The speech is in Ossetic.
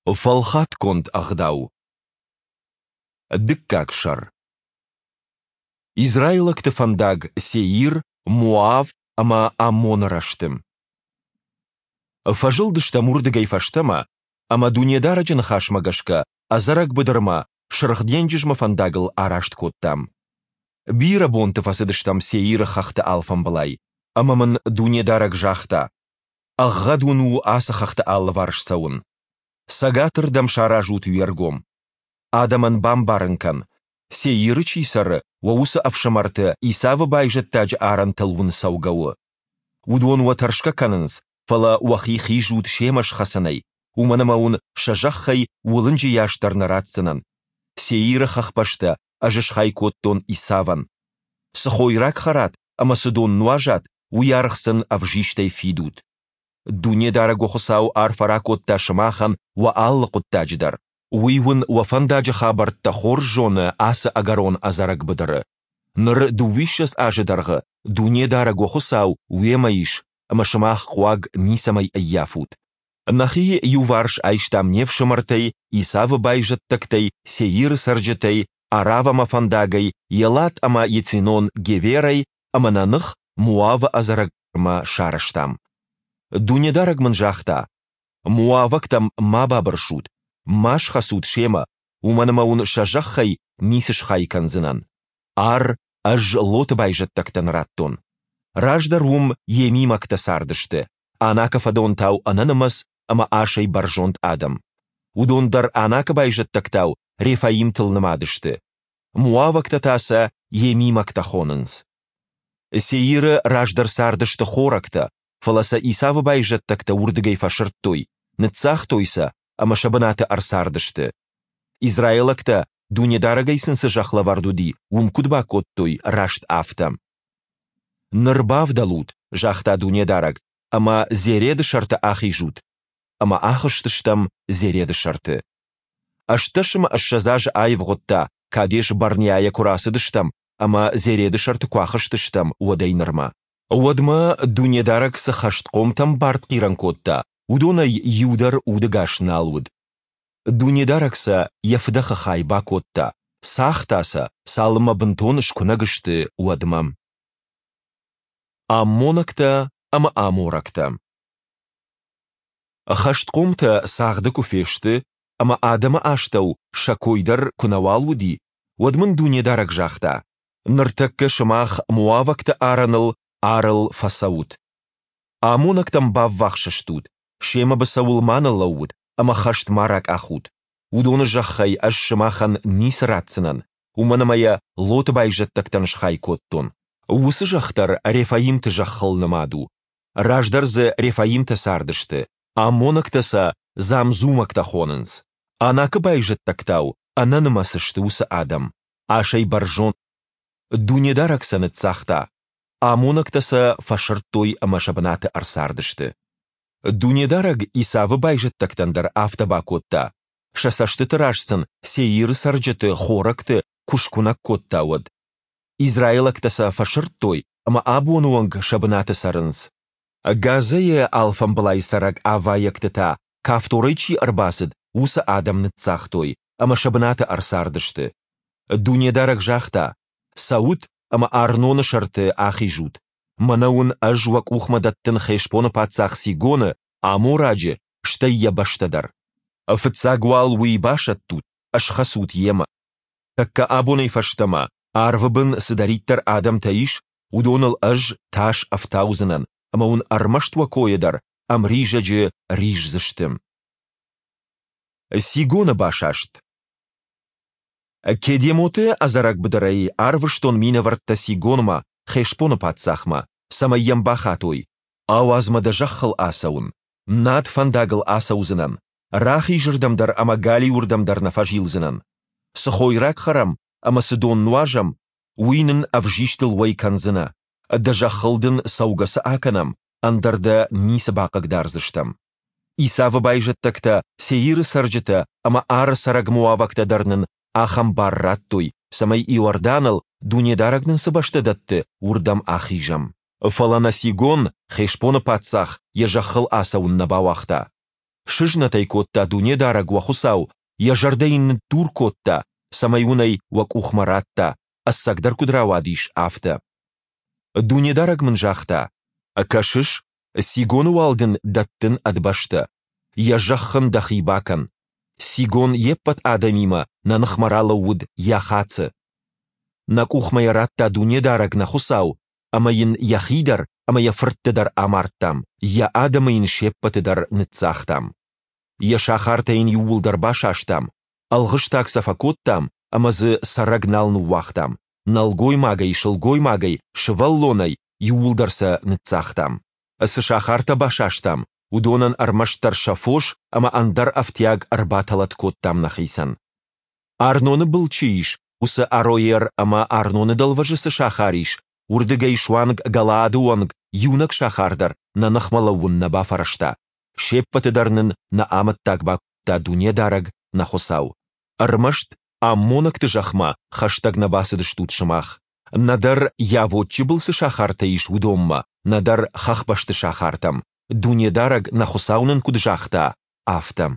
Фӕлхатгонд ӕгъдау. Дыккаг сӕр. Израилӕгты фӕндаг Сеир, Моав ӕмӕ Аммоны рӕзты. Фӕзылдыстӕм уырдыгӕй фӕстӕмӕ ӕмӕ Дунедарӕджы ныхасмӕ гӕсгӕ ӕдзӕрӕг быдырмӕ Сырх денджызмӕ фӕндагыл араст кодтам. Бирӕ бонты фӕцыдыстӕм Сеиры хӕхты алфамбылай, ӕмӕ мын Дунедарӕг загъта: Ӕгъгъӕд уын у ацы хӕхты алыварс цӕуын. Цӕгатырдӕм саразут уе ргом. Адӕмӕн бамбарын кӕн, Сеиры чи цӕры, уӕ уыцы ӕфсымӕрты Исавы байзӕддаджы арӕнтыл уын цӕугӕ у. Уыдон уӕ тӕрсгӕ кӕнынц, фӕлӕ уӕхи хизут семӕ схӕцынӕй, уымӕн ӕмӕ уын сӕ зӕххӕй уылынджы йас дӕр нӕ ратдзынӕн. Сеиры хӕхбӕстӕ ӕз схай кодтон Исавӕн. Цы хойраг хӕрат ӕмӕ цы дон нуазат, уый аргъ сын ӕвзистӕй фидут. Дунедарӕг уӕ Хуыцау арфӕ ракодта сымахӕн уӕ алы хъуыддаджы дӕр. Уый уын уӕ фӕндаджы хабӕрттӕ хорз зоны ацы ӕгӕрон ӕдзӕрӕг быдыры. Ныр дыууиссӕдз азы дӕргъы Дунедарӕг уӕ Хуыцау уемӕ ис, ӕмӕ сымах хъуаг ницӕмӕй ӕййафут. Нӕхи иуварс айстам не фсымӕртӕй, Исавы байзӕддӕгтӕй, Сеиры цӕрджытӕй, Аравӕмӕ фӕндагӕй, Елат ӕмӕ Ецинон-Геверӕй ӕмӕ нӕ ных Моавы ӕдзӕрӕгмӕ сарӕзтам. Дунедарӕг мын загъта: Моавӕгтӕм ма бабырсут, ма схӕцут семӕ, уымӕн ӕмӕ уын сӕ зӕххӕй ницы схай кӕндзынӕн. Ар ӕз Лоты байзӕддӕгтӕн радтон. Раздӕр уым емимӕгтӕ цардысты, Анакы фӕдонтау ӕнӕнымӕц ӕмӕ асӕй бӕрзонд адӕм. Уыдон дӕр Анакы байзӕддӕгтау рефаимтыл нымад сты. Моавӕгтӕ та сӕ емимӕгтӕ хонынц. Сеиры раздӕр цардысты хорӕгтӕ, фӕлӕ сӕ Исавы байзӕддӕгтӕ уырдыгӕй фӕсырдтой, ныццагътой сӕ ӕмӕ сӕ бынаты ӕрцардысты. Израилӕгтӕ, Дунедарӕгӕй сын цы зӕхх лӕвӕрд уыди, уым куыд бакодтой, раст афтӕ. Ныр бавдӕлут, загъта Дунедарӕг, ӕмӕ Зереды сӕрты ахизут. Ӕмӕ ахызтыстӕм Зереды сӕрты. 18 ӕмӕ 20 азы аивгъуыдта, Кадес-Барнеайӕ куы рацыдыстӕм ӕмӕ Зереды сӕрты куы ахызтыстӕм, уӕдӕй нырмӕ. Уӕдмӕ Дунедарӕг цы хӕстхъомтӕм бартхъирӕн кодта, уыдонӕй иу дӕр удӕгас нал уыд. Дунедарӕг сӕ йӕ фыдӕхы хай бакодта, цагъта сӕ, цалынмӕ бынтон скуынӕг сты, уӕдмӕ. Аммонӕгтӕ ӕмӕ аморӕгтӕ. Хӕстхъомтӕ цагъды куы фесты ӕмӕ адӕмы астӕу сӕ кой дӕр куы нӕуал уыди, уӕд мын Дунедарӕг загъта: Ныртӕккӕ сымах моавӕгты арӕныл Арыл фӕцӕут. Аммонӕгтӕм баввахс стут, семӕ быцӕуыл ма ныллӕуут ӕмӕ хӕст ма ракъахут. Уыдоны зӕххӕй ӕз сымахӕн ницы ратдзынӕн, уымӕн ӕмӕ йӕ Лоты байзӕддӕгтӕн схай кодтон. Уыцы зӕхх дӕр рефаимты зӕххыл нымад у. Раздӕр дзы рефаимтӕ цардысты, аммонӕгтӕ сӕ замзумӕгтӕ хонынц. Анакы байзӕддӕгтау ӕнӕнымӕц сты уыцы адӕм, асӕй бӕрзонд. Дунедарӕг сӕ ныццагъта, аммонӕгтӕ сӕ фӕсырдтой ӕмӕ сӕ бынаты ӕрцардысты. Дунедарӕг Исавы байзӕддӕгтӕн дӕр афтӕ бакодта, сӕ цӕстыты раз сын Сеиры цӕрджыты, хорӕгты, куы скуынӕг кодта, уӕд. Израилӕгтӕ сӕ фӕсырдтой ӕмӕ абоны онг сӕ бынаты цӕрынц. Газӕйы алфамбылай цӕрӕг авайӕгты та, Кавторӕй чи ӕрбацыд, уыцы адӕм ныццагътой ӕмӕ сӕ бынаты ӕрцардысты. Дунедарӕг загъта: Цӕут ӕмӕ Арноны сӕрты ахизут. Мӕнӕ уын ӕз уӕ къухмӕ дӕттын Хешбоны паддзах Сигоны, амораджы, стӕй йӕ бӕстӕ дӕр. Фыццаг уал уый басӕттут, схӕцут йемӕ. Тӕккӕ абонӕй фӕстӕмӕ, арвы бын цыдӕриддӕр адӕмтӕ ис, уыдоныл ӕз тас ӕфтаудзынӕн, ӕмӕ уын ӕрмӕст уӕ койӕ дӕр ӕмризӕджы риздзысты. Сигоны басаст. Кедемоты ӕдзӕрӕг быдырӕй арвыстон минӕвӕрттӕ Сигонмӕ, Хешбоны паддзахмӕ, цӕмӕй йӕм бахатой: Ауадз мӕ дӕ зӕххыл ацӕуын, над фӕндагыл ацӕудзынӕн, рахизырдӕм дӕр ӕмӕ галиуырдӕм дӕр нӕ фӕзилдзынӕн. Цы хойраг хӕрӕм ӕмӕ цы дон нуазӕм, уый нын ӕвзистыл уӕй кӕндзынӕ, дӕ зӕххыл дын цӕугӕ цы акӕнӕм, ӕндӕр дӕ ницы бахъыгдардзыстӕм. Исавы байзӕддӕгтӕ, Сеиры цӕрджытӕ ӕмӕ Ары цӕрӕг моавӕгтӕ дӕр нын ахӕм бар радтой, цӕмӕй Иорданыл, Дунедарӕг нын цы бӕстӕ дӕтты, уырдӕм ахизӕм. Фӕлӕ нӕ Сигон, Хешбоны паддзах, йӕ зӕххыл ацӕуын нӕ бауагъта. Сызнӕт ӕй кодта Дунедарӕг, уӕ Хуыцау, йӕ зӕрдӕ йын ныддур кодта, цӕмӕй уын ӕй уӕ къухмӕ радта, ӕцӕгдӕр куыд рауадис, афтӕ. Дунедарӕг мын загъта: Кӕсыс, Сигоны уал дын дӕттын ӕд бӕстӕ. Йӕ зӕхх ын дӕхи бакӕн. Сигон йе ппӕт адӕмимӕ нӕ ныхмӕ ралӕууыд Йахацы. Нӕ къухмӕ йӕ радта Дунедарӕг, нӕ Хуыцау, ӕмӕ йын йӕхи дӕр ӕмӕ йӕ фыртты дӕр амардтам, йӕ адӕмы йын се ппӕты дӕр ныццагътам. Йӕ сахартӕ йын иууылдӕр басастам, ӕлгъыстаг сӕ фӕкодтам ӕмӕ дзы цӕрӕг нал ныууагътам, нӕлгоймагӕй, сылгоймагӕй, сывӕллонӕй, иууылдӕр сӕ ныццагътам. Цы сахартӕ басастам, уыдонӕн ӕрмӕстдӕр сӕ фос ӕмӕ ӕндӕр ӕфтиаг ӕрбатӕлӕт кодтам нӕхицӕн. Арноны был чи ис, уыцы Ароер ӕмӕ Арноны дӕлвӕзы цы сахар ис, уырдыгӕй суанг Галаады онг иунӕг сахар дӕр нӕ ныхмӕ лӕууын нӕ бафӕрӕзта. Се ппӕты дӕр нын нӕ амӕттаг бакодта Дунедарӕг, нӕ Хуыцау. Ӕрмӕст аммонӕгты зӕхмӕ хӕстӕг нӕ бацыдыстут сымах, нӕдӕр Йавоччы был цы сахартӕ ис, уыдонмӕ, нӕдӕр хӕхбӕсты сахартӕм, Дунедарӕг, нӕ Хуыцау нын куыд загъта, афтӕ.